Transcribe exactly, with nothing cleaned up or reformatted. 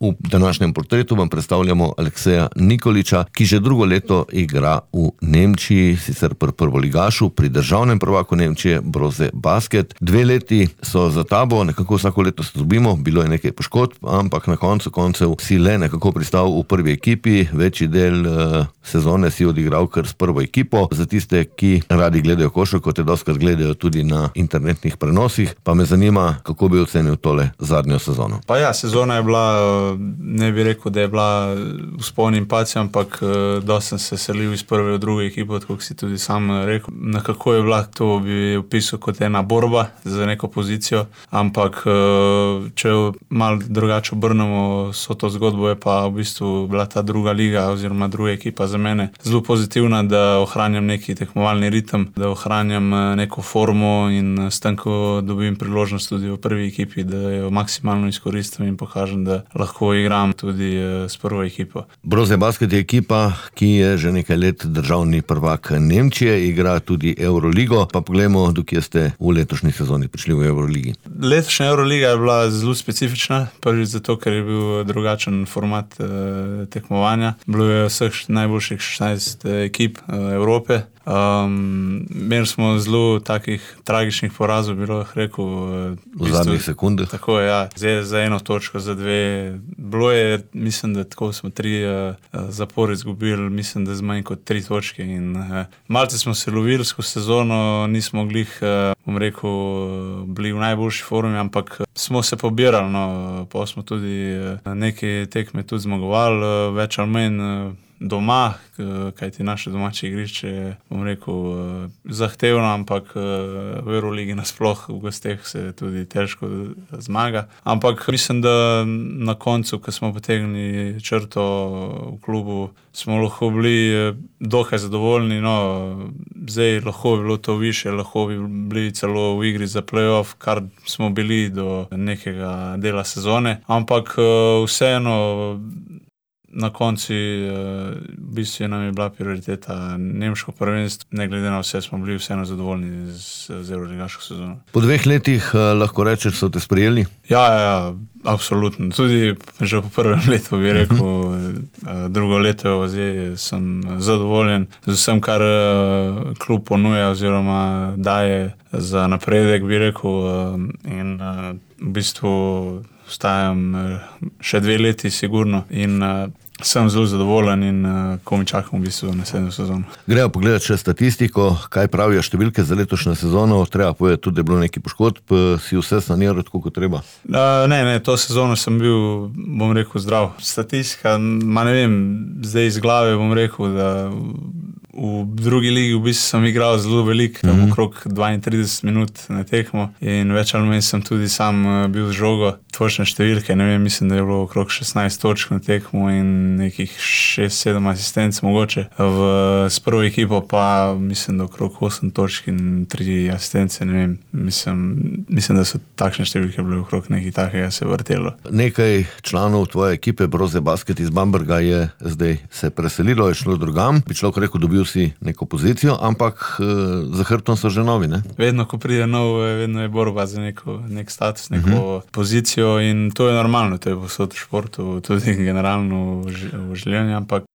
V današnjem portretu vam predstavljamo Alekseja Nikolića, ki že drugo leto igra v Nemčiji, sicer pri prvoligašu, pri državnem prvaku Nemčije Brose Basket. Dve leti so za tabo, nekako vsako leto se dobimo, bilo je nekaj poškodb, ampak na koncu koncev si le nekako pristal v prvi ekipi, večji del uh, sezone si odigral kar s prvo ekipo. Za tiste, ki radi gledajo košarko, te doskrat gledajo tudi na internetnih prenosih, pa me zanima, kako bi ocenil tole zadnjo sezono. Pa ja, sezona je bila, ne bi rekel, da je bila vzpon in padci, ampak dosti sem se selil iz prve v drugo ekipo, tako si tudi sam rekel. Nekako je bila, to bi opisal kot ena borba za neko pozicijo, ampak če malo drugače obrnemo so to zgodbo, je pa v bistvu bila ta druga liga oziroma druga ekipa za mene zelo pozitivna, da ohranjam neki tekmovalni ritem, da ohranjam neko formo in s tem, ko dobim priložnost tudi v prvi ekipi, da jo maksimalno izkoristim in pokažem, da lahko igram tudi s prvo ekipo. Brose Basket je ekipa, ki je že nekaj let državni prvak Nemčije, igra tudi Euroligo, pa poglejmo, dokje ste v letošnji sezoni prišli v Euroligi. Letošnja Euroliga je bila zelo specifična, prvič zato, ker je bil drugačen format eh, tekmovanja. Bilo je vseh najboljših šestnajst ekip eh, Evrope. Um, imeli smo zelo takih tragičnih porazov, bi lahko rekel. V, v zadnjih sekundah. Tako je, ja. Zdaj za eno točko, za dve. Bilo je, mislim, da tako smo tri uh, zapore izgubili, mislim, da z manj kot tri točke. In uh, malce smo se lovili skozi sezono, nismo glih, uh, bom rekel, bili v najboljši formi, ampak smo se pobirali, no, pa smo tudi uh, neke tekme tudi zmagovali, uh, več ali manj uh, doma, kajti naše domače igrišče je, bom rekel, zahtevno, ampak v Euroligi nasploh v gosteh se tudi težko zmaga. Ampak mislim, da na koncu, ko smo potegnili črto v klubu, smo lahko bili dokaj zadovoljni. No, zdaj lahko bi bilo to više, lahko bi bili celo v igri za play-off, kar smo bili do nekega dela sezone. Ampak vseeno na konci v bistvu nam je bila prioriteta nemško prvenstvo. Ne glede na vse smo bili vseeno zadovoljni z, z euroligaško sezono. Po dveh letih lahko rečeš, so te sprejeli? Ja, ja, ja, absolutno. Tudi že po prvem letu bi rekel, uh-huh. drugo leto zdaj sem zadovoljen z vsem, kar klub ponuja oziroma daje za napredek, bi rekel. In v bistvu ostajam še dve leti sigurno in uh, sem zelo zadovoljen in uh, ko mi čakam v bistvu naslednjo sezono. Grejo pogledati še statistiko, kaj pravijo številke za letošnjo sezono. Treba povedati tudi, da je bilo nekaj poškodb, si vse saniral tako, kot treba? Uh, ne, ne, to sezono sem bil, bom rekel, zdrav. Statistika, ma ne vem, zdaj iz glave bom rekel, da v drugi ligi v bistvu sem igral zelo veliko, tam mm-hmm. okrog dvaintrideset minut na tekmo in več ali manj sem tudi sam bil z žogo. Točne številke, ne vem, mislim, da je bilo okrog šestnajst točk na tekmo in nekih šest sedem asistenc mogoče. V, s prvo ekipo pa mislim, da okrog osem točk in tri asistence, ne vem, mislim, mislim, da so takšne številke bile okrog nekaj takega se vrtelo. Nekaj članov tvoje ekipe Brose Basket iz Bamberga je zdaj se preselilo, je šlo drugam. Bi človek rekel, dobil si neko pozicijo, ampak e, za hrbtom so že novi, ne? Vedno, ko pride nov, vedno je borba za neko, nek status, neko uh-huh. pozicijo in to je normalno, to je povsod v športu, tudi generalno v življenju, ampak